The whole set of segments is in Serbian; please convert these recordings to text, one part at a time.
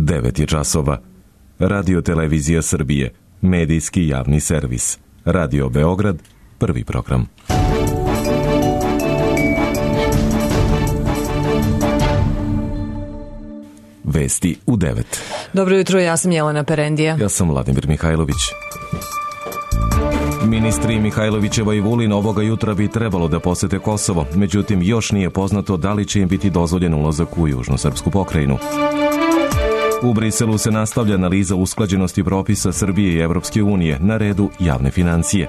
9 je časova. Radio Televizija Srbije, medijski javni servis. Radio Beograd, prvi program. Vesti u 9. Dobro jutro, ja sam Jelena Perendija. Ja sam Vladimir Mihajlović. Ministri Mihajlovićeva i Vulin ovoga jutra bi trebalo da posete Kosovo, međutim još nije poznato da li će im biti dozvoljen ulazak u južnu srpsku pokrajinu. U Briselu se nastavlja analiza usklađenosti propisa Srbije i Evropske unije, na redu javne financije.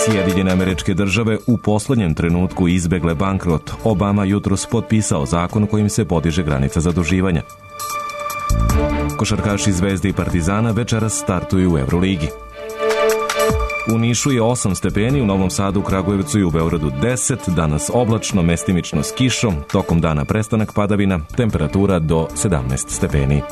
Sjedinjene Američke Države u poslednjem trenutku izbegle bankrot. Obama jutros potpisao zakon kojim se podiže granica zaduživanja. Košarkaši Zvezde i Partizana večeras startuju u Euroligi. U Nišu je 8 stepeni, u Novom Sadu, Kragujevcu i u Beogradu 10, danas oblačno, mestimično s kišom, tokom dana prestanak padavina, temperatura do 17 stepeni.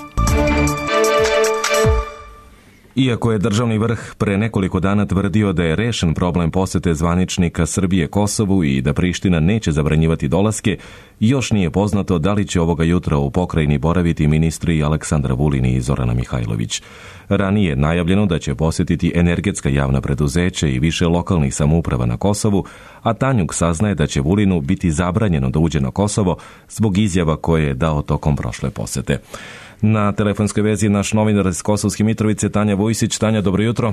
Iako je državni vrh pre nekoliko dana tvrdio da je rešen problem posete zvaničnika Srbije Kosovu i da Priština neće zabranjivati dolaske, još nije poznato da li će ovoga jutra u pokrajini boraviti ministri Aleksandar Vulin i Zorana Mihajlović. Ranije je najavljeno da će posetiti energetska javna preduzeća i više lokalnih samouprava na Kosovu, a Tanjug saznaje da će Vulinu biti zabranjeno da uđe na Kosovo zbog izjava koje je dao tokom prošle posete. Na telefonskoj vezi naš novinar iz Kosovske Mitrovice, Tanja Vujsić. Tanja, dobro jutro.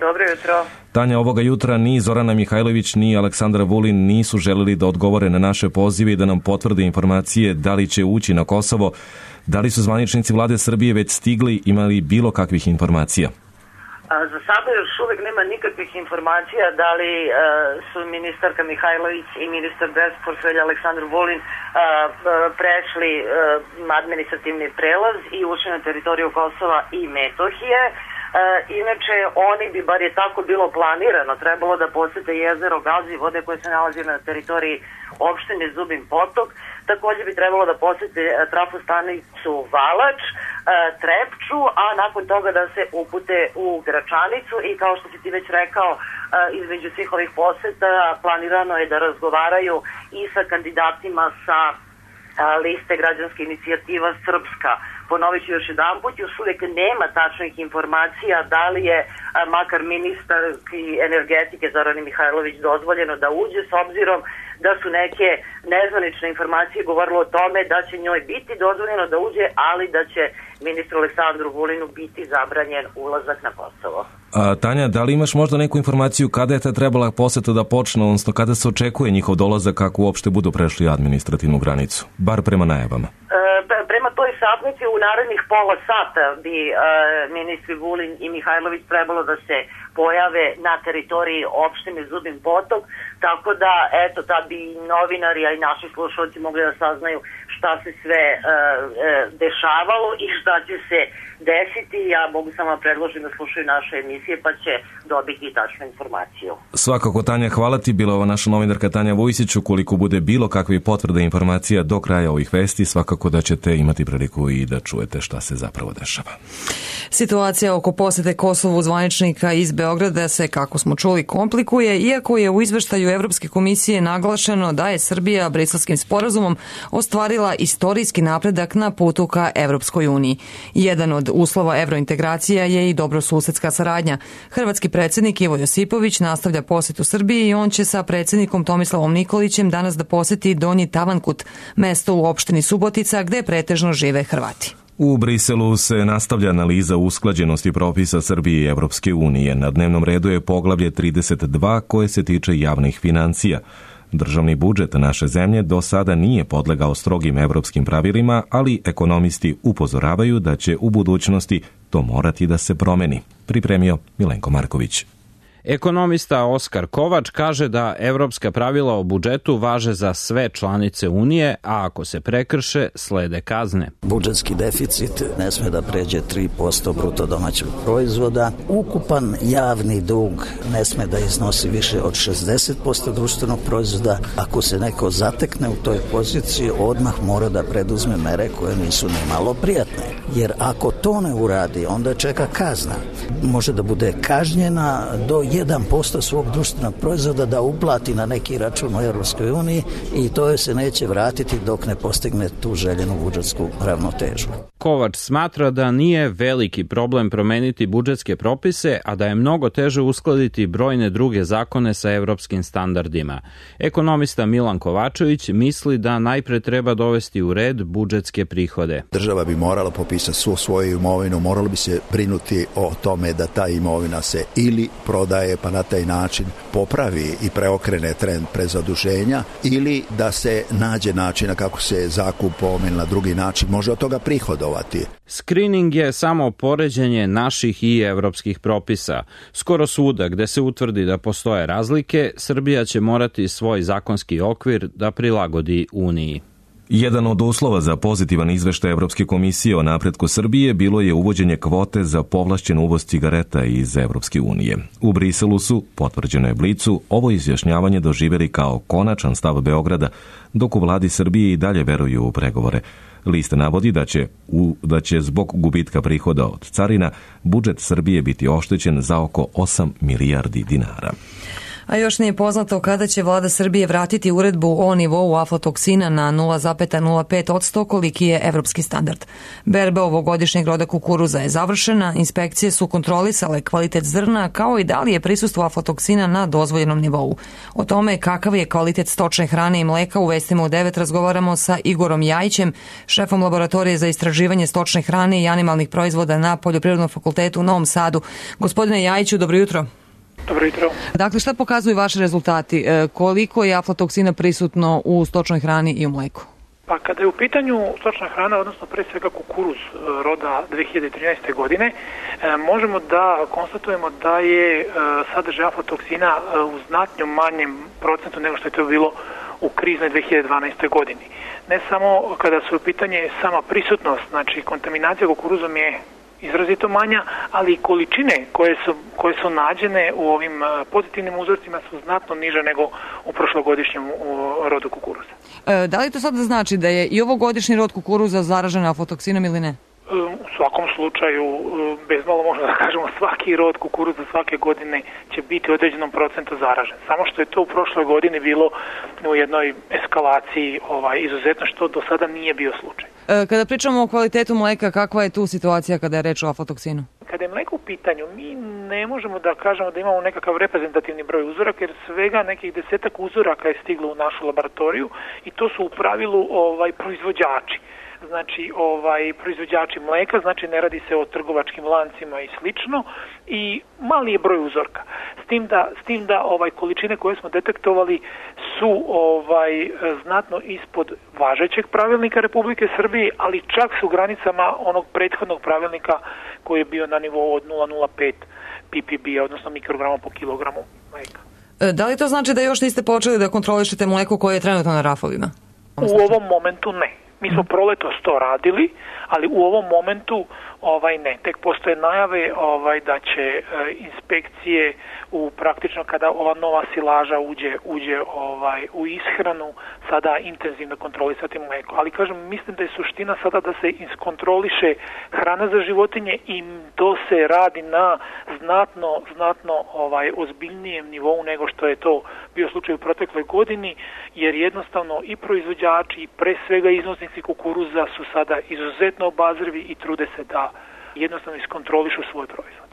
Dobro jutro. Tanja, ovoga jutra ni Zorana Mihajlović ni Aleksandar Vulin nisu želeli da odgovore na naše pozive i da nam potvrde informacije da li će ući na Kosovo. Da li su zvaničnici vlade Srbije već stigli, imali bilo kakvih informacija? Za sada još uvijek nema nikakvih informacija da li su ministarka Mihajlović i ministar bez portfelja Aleksandar Vulin prešli administrativni prelaz i ušli na teritoriju Kosova i Metohije. Inače, oni bi, bar je tako bilo planirano, trebalo da posete jezero Gazivode koje se nalazi na teritoriji opštine Zubin Potok. Također bi trebalo da posete trafostanicu Valač, Trepču, a nakon toga da se upute u Gračanicu i kao što si ti već rekao, između svih ovih poseta planirano je da razgovaraju i sa kandidatima sa liste građanske inicijativa Srpska. Ponovit ću još jedanput, još uvijek nema tačnih informacija da li je makar ministar energetike Zorani Mihajlović dozvoljeno da uđe, s obzirom da su neke nezvanične informacije govorile o tome da će njoj biti dozvoljeno da uđe, ali da će ministru Aleksandru Vulinu biti zabranjen ulazak na Kosovo. Tanja, da li imaš možda neku informaciju kada je ta trebala poseta da počne, odnosno kada se očekuje njihov dolazak kako uopšte budu prešli administrativnu granicu, bar prema najavama? Prema toj satnici u narednih pola sata bi ministri Vulin i Mihajlović trebalo da se pojave na teritoriji opštine Zubin Potok, tako da eto tad bi novinari, a i naši slušalci mogli da saznaju šta se sve dešavalo i šta će se desiti. Ja mogu samo predložiti da slušaju naše emisije pa će dobiti i tačnu informaciju. Svakako, Tanja, hvala ti. Bila ova naša novinarka Tanja Vujsić. Ukoliko bude bilo kakve potvrde informacija do kraja ovih vesti, svakako da ćete imati priliku i da čujete šta se zapravo dešava. Situacija oko posete Kosovu zvaničnika iz Beograda se, kako smo čuli, komplikuje, iako je u izveštaju Evropske komisije naglašeno da je Srbija Briselskim sporazumom ostvarila istorijski napredak na putu ka Evropskoj uniji. Jedan od uslova evrointegracija je i dobrosusedska saradnja. Hrvatski predsjednik Ivo Josipović nastavlja posetu Srbiji i on će sa predsjednikom Tomislavom Nikolićem danas da poseti Donji Tavankut, mesto u opštini Subotica gde pretežno žive Hrvati. U Briselu se nastavlja analiza usklađenosti propisa Srbije i Evropske unije. Na dnevnom redu je poglavlje 32 koje se tiče javnih financija. Državni budžet naše zemlje do sada nije podlegao strogim evropskim pravilima, ali ekonomisti upozoravaju da će u budućnosti to morati da se promeni. Pripremio Milenko Marković. Ekonomista Oskar Kovač kaže da evropska pravila o budžetu važe za sve članice Unije, a ako se prekrše, slede kazne. Budžetski deficit ne sme da pređe 3% bruto domaćeg proizvoda. Ukupan javni dug ne sme da iznosi više od 60% društvenog proizvoda. Ako se neko zatekne u toj poziciji, odmah mora da preduzme mere koje nisu ni malo prijatne. Jer ako to ne uradi, onda čeka kazna. Može da bude kažnjena do 1% svog društvenog proizvoda da uplati na neki račun u Europskoj uniji i to joj se neće vratiti dok ne postigne tu željenu budžetsku ravnotežu. Kovač smatra da nije veliki problem promeniti budžetske propise, a da je mnogo teže uskladiti brojne druge zakone sa evropskim standardima. Ekonomista Milan Kovačević misli da najpre treba dovesti u red budžetske prihode. Država bi morala popisati svu svoju imovinu, moralo bi se brinuti o tome da ta imovina se ili prodaje pa na taj način popravi i preokrene trend prezaduženja ili da se nađe načina kako se zakupom ili na drugi način može od toga prihodovati. Screening je samo poređenje naših i evropskih propisa. Skoro svuda gde se utvrdi da postoje razlike, Srbija će morati svoj zakonski okvir da prilagodi Uniji. Jedan od uslova za pozitivan izveštaj Evropske komisije o napretku Srbije bilo je uvođenje kvote za povlašćen uvoz cigareta iz Evropske unije. U Briselu su, potvrđeno je Blicu, ovo izjašnjavanje doživjeli kao konačan stav Beograda, dok u vladi Srbije i dalje veruju u pregovore. Lista navodi da će zbog gubitka prihoda od carina budžet Srbije biti oštećen za oko 8 milijardi dinara. A još nije poznato kada će vlada Srbije vratiti uredbu o nivou aflatoksina na 0,05%, koliki je evropski standard. Berba ovogodišnjeg roda kukuruza je završena, inspekcije su kontrolisale kvalitet zrna kao i da li je prisustvo aflatoksina na dozvoljenom nivou. O tome kakav je kvalitet stočne hrane i mleka u Vestima u 9 razgovaramo sa Igorom Jajićem, šefom laboratorije za istraživanje stočne hrane i animalnih proizvoda na Poljoprivrednom fakultetu u Novom Sadu. Gospodine Jajiću, dobro jutro. Dobro jutro. Dakle, šta pokazuju vaši rezultati? Koliko je aflatoksina prisutno u stočnoj hrani i u mleku? Pa kada je u pitanju stočna hrana, odnosno pre svega kukuruz roda 2013. godine, možemo da konstatujemo da je sadržaj aflatoksina u znatno manjem procentu nego što je to bilo u kriznoj 2012. godini. Ne samo kada su u pitanje sama prisutnost, znači kontaminacija kukuruzom je izrazito manja, ali i količine koje su nađene u ovim pozitivnim uzorcima su znatno niže nego u prošlogodišnjem rodu kukuruza. Da li to sad znači da je i ovogodišnji rod kukuruza zaražen aflatoksinom ili ne? U svakom slučaju, bez malo možemo da kažemo, svaki rod kukuruza svake godine će biti u određenom procentu zaražen. Samo što je to u prošloj godini bilo u jednoj eskalaciji izuzetno, što do sada nije bio slučaj. Kada pričamo o kvalitetu mleka, kakva je tu situacija kada je reč o aflatoksinu? Kada je mleko u pitanju, mi ne možemo da kažemo da imamo nekakav reprezentativni broj uzoraka, jer svega nekih 10 uzoraka je stiglo u našu laboratoriju i to su u pravilu proizvođači. Znači proizvođači mleka, znači ne radi se o trgovačkim lancima i slično i mali je broj uzorka. S tim da količine koje smo detektovali su znatno ispod važećeg pravilnika Republike Srbije, ali čak su u granicama onog prethodnog pravilnika koji je bio na nivou od 0,05 ppb, odnosno mikrograma po kilogramu mleka. Da li to znači da još niste počeli da kontrolišete mleko koje je trenutno na rafovima? U ovom momentu ne. Mi smo proletos to radili, ali u ovom momentu ne. Tek postoje najave da će inspekcije praktično kada ova nova silaža uđe u ishranu sada intenzivno kontrolisati mleko. Ali kažem, mislim da je suština sada da se iskontroliše hrana za životinje i to se radi na znatno ozbiljnijem nivou nego što je to bio slučaj u protekloj godini, jer jednostavno i proizvođači i pre svega iznosnici kukuruza su sada izuzetno obazrivi i trude se da jednostavno iskontrolišu svoj proizvod.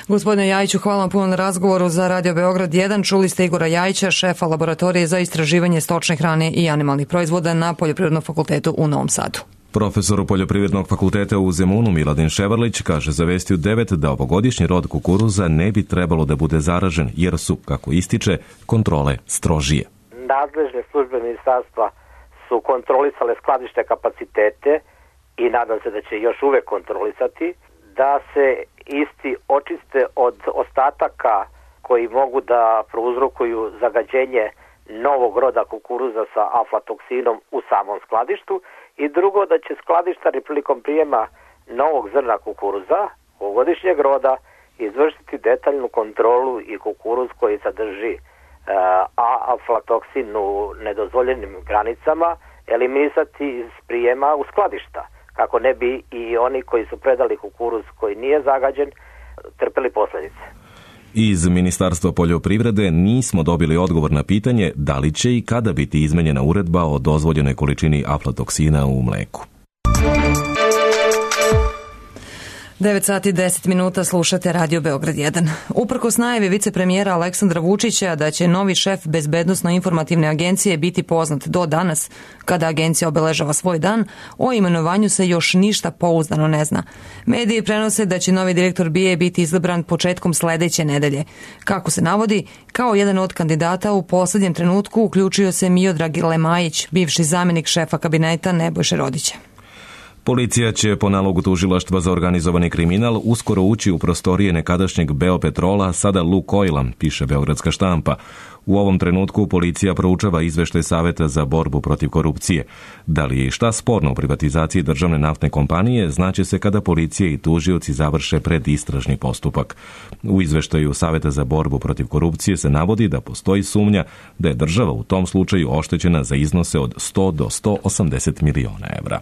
Gospodine Jajiću, hvala vam puno na razgovoru za Radio Beograd 1. Čuli ste Igora Jajića, šefa laboratorije za istraživanje stočne hrane i animalnih proizvoda na Poljoprivrednom fakultetu u Novom Sadu. Profesor Poljoprivrednog fakulteta u Zemunu Miladin Ševarlić kaže za Vesti u 9 da ovogodišnji rod kukuruza ne bi trebalo da bude zaražen jer su, kako ističe, kontrole strožije. Nadležne službe ministarstva su kontrolisale skladište kapacitete i nadam se da će još uvek kontrolisati, da se isti očiste od ostataka koji mogu da prouzrokuju zagađenje novog roda kukuruza sa aflatoksinom u samom skladištu i drugo da će skladištari prilikom prijema novog zrna kukuruza ovogodišnjeg roda izvršiti detaljnu kontrolu i kukuruz koji sadrži aflatoksin u nedozvoljenim granicama eliminisati iz prijema u skladišta, kako ne bi i oni koji su predali kukuruz koji nije zagađen trpeli posljedice. Iz Ministarstva poljoprivrede nismo dobili odgovor na pitanje da li će i kada biti izmenjena uredba o dozvoljenoj količini aflatoksina u mleku. 9 sati i 10 minuta slušate Radio Beograd 1. Uprkos najavi vicepremijera Aleksandra Vučića da će novi šef Bezbednosno-informativne agencije biti poznat do danas, kada agencija obeležava svoj dan, o imenovanju se još ništa pouzdano ne zna. Mediji prenose da će novi direktor BIA biti izabran početkom sledeće nedelje. Kako se navodi, kao jedan od kandidata u poslednjem trenutku uključio se Miodrag Lemajić, bivši zamjenik šefa kabineta Nebojše Rodića. Policija će po nalogu tužilaštva za organizovani kriminal uskoro ući u prostorije nekadašnjeg Beopetrola, sada Lukoila, piše Beogradska štampa. U ovom trenutku policija proučava izveštaj Saveta za borbu protiv korupcije. Da li je i šta sporno u privatizaciji državne naftne kompanije, znaće se kada policija i tužioci završe predistražni postupak. U izveštaju Saveta za borbu protiv korupcije se navodi da postoji sumnja da je država u tom slučaju oštećena za iznose od 100 do 180 miliona evra.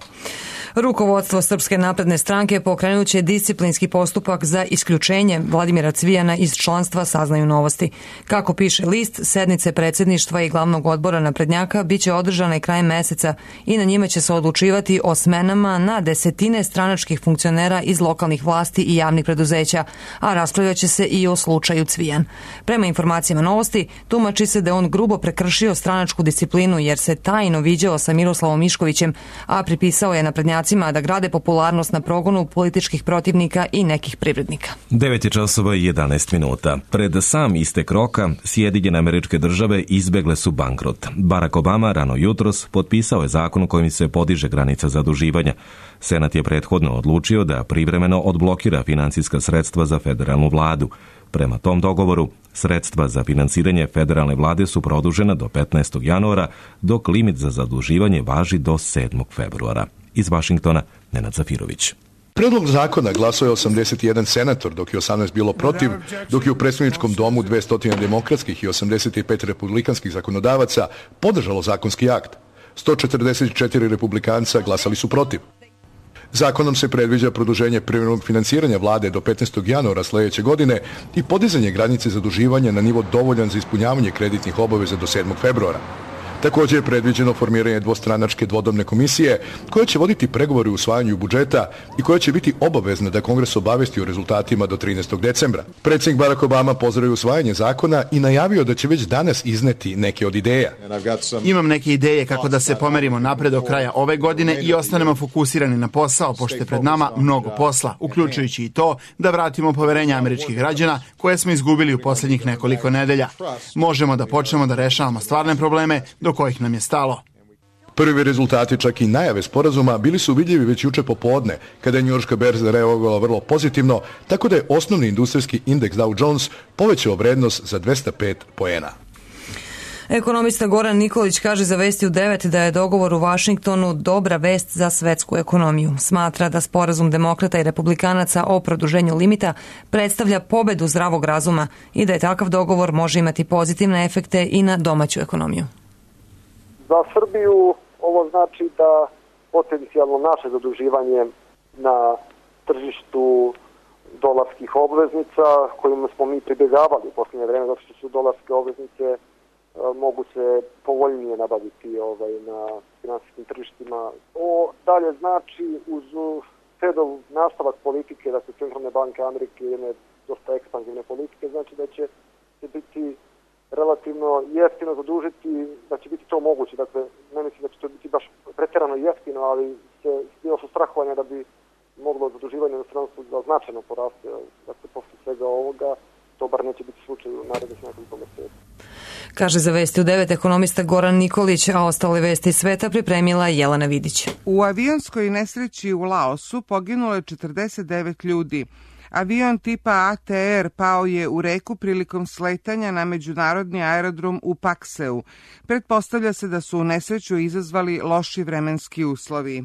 Rukovodstvo Srpske napredne stranke pokrenut će disciplinski postupak za isključenje Vladimira Cvijana iz članstva, saznaju Novosti. Kako piše list, sednice predsjedništva i glavnog odbora naprednjaka biće održane krajem meseca i na njima će se odlučivati o smenama na desetine stranačkih funkcionera iz lokalnih vlasti i javnih preduzeća, a raspravljaće se i o slučaju Cvijan. Prema informacijama Novosti, tumači se da on grubo prekršio stranačku disciplinu jer se tajno viđao sa Miroslavom Miškovićem, a pripisao je naprednjacima da grade popularnost na progonu političkih protivnika i nekih privrednika. 9 časova i 11 minuta. Pred sam istek roka, Sjedinjene Američke Države izbegle su bankrot. Barack Obama rano jutros potpisao je zakon kojim se podiže granica zaduživanja. Senat je prethodno odlučio da privremeno odblokira finansijska sredstva za federalnu vladu. Prema tom dogovoru, sredstva za finansiranje federalne vlade su produžena do 15. januara, dok limit za zaduživanje važi do 7. februara. Iz Vašingtona, Nenad Zafirović. Predlog zakona glasao je 81 senator, dok je 18 bilo protiv, dok je u predstavničkom domu 200 demokratskih i 85 republikanskih zakonodavaca podržalo zakonski akt. 144 republikanca glasali su protiv. Zakonom se predviđa produženje privremenog finansiranja vlade do 15. januara sledeće godine i podizanje granice zaduživanja na nivo dovoljan za ispunjavanje kreditnih obaveza do 7. februara. Također je predviđeno formiranje dvostranačke dvodomne komisije koja će voditi pregovore u usvajanju budžeta i koja će biti obavezna da Kongres obavesti o rezultatima do 13. decembra. Predsjednik Barack Obama pozdravio usvajanje zakona i najavio da će već danas izneti neke od ideja. Imam neke ideje kako da se pomerimo napred do kraja ove godine i ostanemo fokusirani na posao, pošto je pred nama mnogo posla, uključujući i to da vratimo poverenje američkih građana koje smo izgubili u posljednjih nekoliko nedelja. Možemo da počnemo da rešavamo stvarne probleme do kojih nam je stalo. Prvi rezultati, čak i najave sporazuma, bili su vidljivi već juče popodne, kada je njujorška berza reagovala vrlo pozitivno, tako da je osnovni industrijski indeks Dow Jones povećao vrednost za 205 poena. Ekonomista Goran Nikolić kaže za Vesti u 9 da je dogovor u Vašingtonu dobra vest za svetsku ekonomiju. Smatra da sporazum demokrata i republikanaca o produženju limita predstavlja pobedu zdravog razuma i da je takav dogovor može imati pozitivne efekte i na domaću ekonomiju. Za Srbiju ovo znači da potencijalno naše zaduživanje na tržištu dolarskih obveznica, kojima smo mi pribjegavali u posljednje vreme, zato što su dolarske obveznice mogu se povoljnije nabaviti na finansijskim tržištima. Ovo dalje znači uz Fedov nastavak politike, dakle Centralne banke Amerike, jedne dosta ekspanzivne politike, znači da će biti relativno jeftino zadužiti, da će biti to moguće. Dakle, ne mislim da će to biti baš pretjerano jeftino, ali bilo su strahovanja da bi moglo zaduživanje na stranstvu da značajno poraste. Dakle, posle svega ovoga, to bar neće biti slučaj u narednih nekoliko meseci. Kaže za Vesti u 9 ekonomista Goran Nikolić, a ostale vesti sveta pripremila Jelena Vidić. U avionskoj nesreći u Laosu poginulo je 49 ljudi. Avion tipa ATR pao je u reku prilikom sletanja na međunarodni aerodrom u Pakseu. Pretpostavlja se da su u nesreću izazvali loši vremenski uslovi.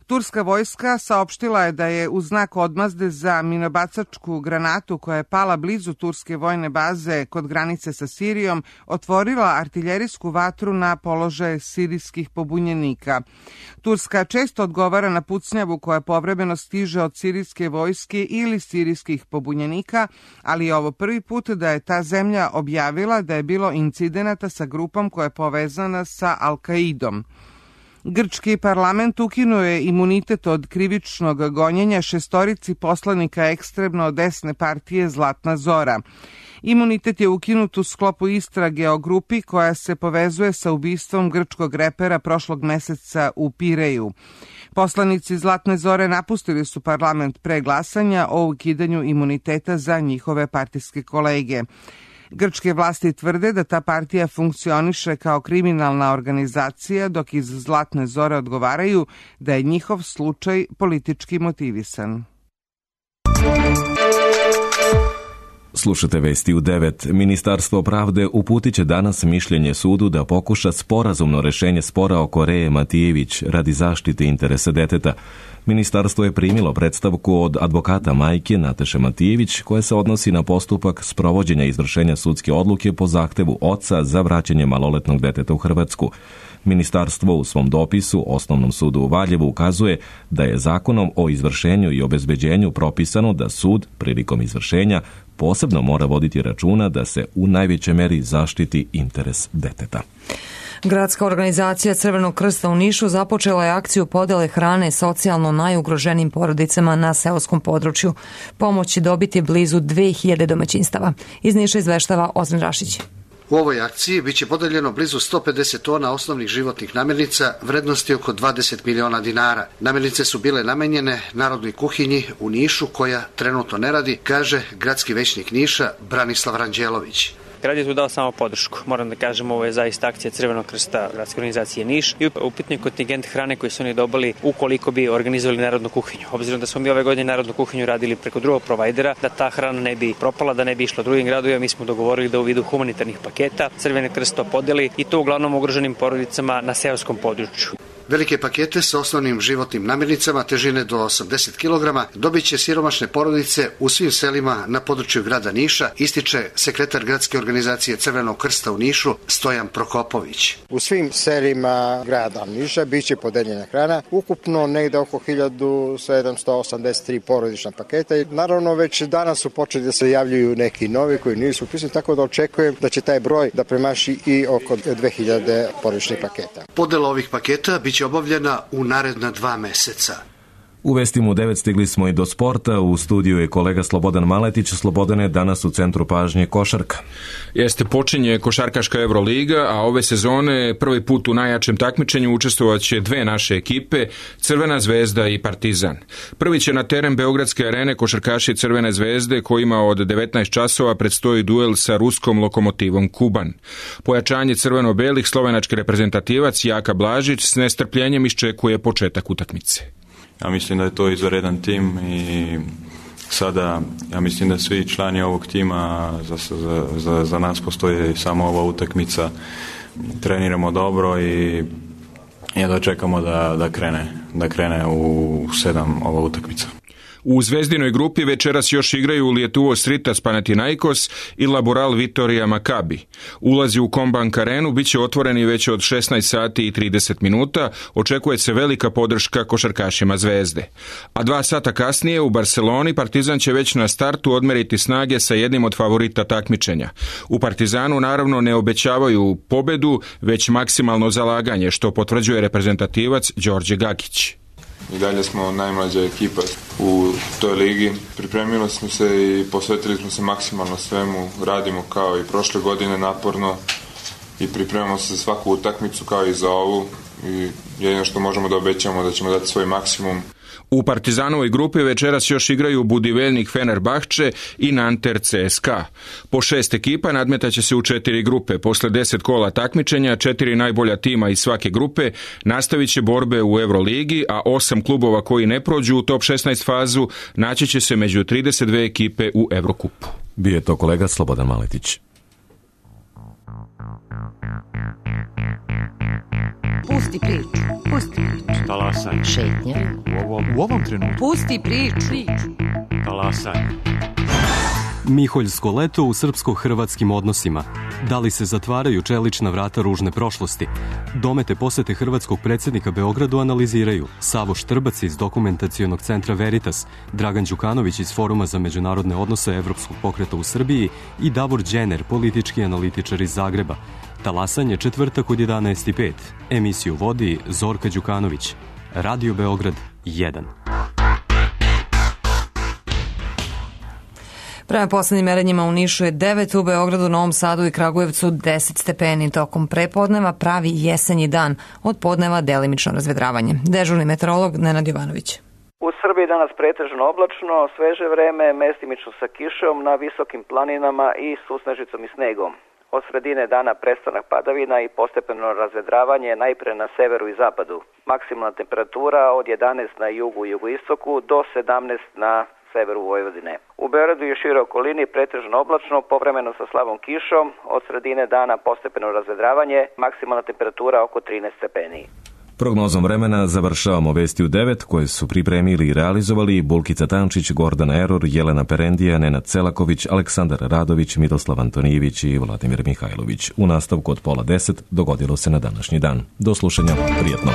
Turska vojska saopštila je da je u znak odmazde za minobacačku granatu koja je pala blizu turske vojne baze kod granice sa Sirijom otvorila artiljerijsku vatru na položaje sirijskih pobunjenika. Turska često odgovara na pucnjavu koja povremeno stiže od sirijske vojske ili sirijskih pobunjenika, ali je ovo prvi put da je ta zemlja objavila da je bilo incidenata sa grupom koja je povezana sa Al-Kaidom. Grčki parlament ukinuo je imunitet od krivičnog gonjenja 6 poslanika ekstremno desne partije Zlatna Zora. Imunitet je ukinut u sklopu istrage o grupi koja se povezuje sa ubistvom grčkog repera prošlog meseca u Pireju. Poslanici Zlatne Zore napustili su parlament pre glasanja o ukidanju imuniteta za njihove partijske kolege. Grčke vlasti tvrde da ta partija funkcioniše kao kriminalna organizacija, dok iz Zlatne Zore odgovaraju da je njihov slučaj politički motivisan. Slušate vesti u 9. Ministarstvo pravde uputit će danas mišljenje sudu da pokuša sporazumno rešenje spora oko Reje Matijević radi zaštite interesa deteta. Ministarstvo je primilo predstavku od advokata majke Nataše Matijević koja se odnosi na postupak sprovođenja izvršenja sudske odluke po zahtevu oca za vraćanje maloletnog deteta u Hrvatsku. Ministarstvo u svom dopisu Osnovnom sudu u Valjevu ukazuje da je zakonom o izvršenju i obezbeđenju propisano da sud prilikom izvršenja posebno mora voditi računa da se u najvećoj meri zaštiti interes deteta. Gradska organizacija Crvenog krsta u Nišu započela je akciju podele hrane socijalno najugroženim porodicama na seoskom području. Pomoć će dobiti blizu 2000 domaćinstava. Iz Niša izveštava Ozren Rašić. U ovoj akciji biće podeljeno blizu 150 tona osnovnih životnih namirnica vrednosti oko 20 miliona dinara. Namirnice su bile namenjene Narodnoj kuhinji u Nišu koja trenutno ne radi, kaže gradski većnik Niša Branislav Ranđelović. Grad je tu dao samo podršku. Moram da kažem, ovo je zaista akcija Crvenog krsta gradske organizacije Niš i upitni kontingent hrane koji su oni dobili ukoliko bi organizovali Narodnu kuhinju. Obzirom da smo mi ove godine Narodnu kuhinju radili preko drugog provajdera, da ta hrana ne bi propala, da ne bi išla drugim gradovima, mi smo dogovorili da u vidu humanitarnih paketa Crveni krst to podeli i to uglavnom ugroženim porodicama na seoskom području. Velike pakete sa osnovnim životnim namirnicama težine do 80 kg dobit će siromašne porodice u svim selima na području grada Niša, ističe sekretar gradske organizacije Crvenog krsta u Nišu Stojan Prokopović. U svim selima grada Niša biće podeljena hrana, ukupno negde oko 1783 porodična paketa i naravno već danas su počeli da se javljaju neki novi koji nisu upisani, tako da očekujem da će taj broj da premaši i oko 2000 porodičnih paketa. Podela ovih paketa biće obavljena u naredna 2 meseca. U vestima u 9 stigli smo i do sporta. U studiju je kolega Slobodan Maletić. Slobodane, danas u centru pažnje košarka. Jeste, počinje košarkaška Euroliga, a ove sezone prvi put u najjačem takmičenju učestvovaće 2 naše ekipe, Crvena zvezda i Partizan. Prvi će na teren Beogradske arene košarkaši Crvene zvezde kojima od 19 časova predstoji duel sa ruskom Lokomotivom Kuban. Pojačanje crveno-belih slovenački reprezentativac Jaka Blažić s nestrpljenjem iščekuje početak utakmice. Ja mislim da je to izvanredan tim i sada ja mislim da svi člani ovog tima za nas postoji samo ova utakmica. Treniramo dobro i jedva čekamo da krene u 7 ova utakmica. U zvezdinoj grupi večeras još igraju Lietuvos Ritas Panathinaikos i Laboral Vitorija Makabi. Ulazi u Kombank arenu biće otvoreni već od 16 sati i 30 minuta, očekuje se velika podrška košarkašima Zvezde. A 2 sata kasnije u Barceloni Partizan će već na startu odmeriti snage sa jednim od favorita takmičenja. U Partizanu naravno ne obećavaju pobedu, već maksimalno zalaganje, što potvrđuje reprezentativac Đorđe Gakić. I dalje smo najmlađa ekipa u toj ligi. Pripremili smo se i posvetili smo se maksimalno svemu. Radimo kao i prošle godine naporno i pripremamo se za svaku utakmicu kao i za ovu. I jedino što možemo da obećamo da ćemo dati svoj maksimum. U Partizanovoj grupi večeras još igraju Budivelnik Fenerbahče i Nanter CSKA. Po 6 ekipa nadmetaće se u 4 grupe. Posle 10 kola takmičenja, 4 najbolja tima iz svake grupe nastavit će borbe u Euroligi, a 8 klubova koji ne prođu u top 16 fazu naći će se među 32 ekipe u Evrokupu. Bio je to kolega Slobodan Maletić. Pusti priču. Pusti priču. Talasaj. Šetnja. U ovom trenutku. Pusti priču. Talasaj. Miholjsko leto u srpsko-hrvatskim odnosima. Da li se zatvaraju čelična vrata ružne prošlosti? Domete posete hrvatskog predsjednika Beogradu analiziraju Savo Štrbac iz dokumentacionog centra Veritas, Dragan Đukanović iz Foruma za međunarodne odnose Evropskog pokreta u Srbiji i Davor Đener, politički analitičar iz Zagreba. Talasanje četvrtak od 11:05. Emisiju vodi Zorka Đukanović. Radio Beograd 1. Prema poslednjim merenjima u Nišu je 9, u Beogradu, Novom Sadu i Kragujevcu 10 stepeni. Tokom prepodneva pravi jesenji dan, od podneva delimično razvedravanje. Dežurni meteorolog Nenad Jovanović. U Srbiji danas pretežno oblačno, sveže vreme, mestimično sa kišom na visokim planinama i susnežicom i snegom. Od sredine dana prestanak padavina i postepeno razvedravanje najpre na severu i zapadu. Maksimalna temperatura od 11 na jugu i jugoistoku do 17 na severu Vojvodine. U Beogradu i široj okolini pretežno oblačno, povremeno sa slabom kišom, od sredine dana postepeno razvedravanje, maksimalna temperatura oko 13 stepeni. Prognozom vremena završavamo vesti u 9 koje su pripremili i realizovali Bulkica Tančić, Gordana Eror, Jelena Perendija, Nenad Celaković, Aleksandar Radović, Miroslav Antonijević i Vladimir Mihajlović. U nastavku od 9:30 dogodilo se na današnji dan. Do slušanja, prijatno.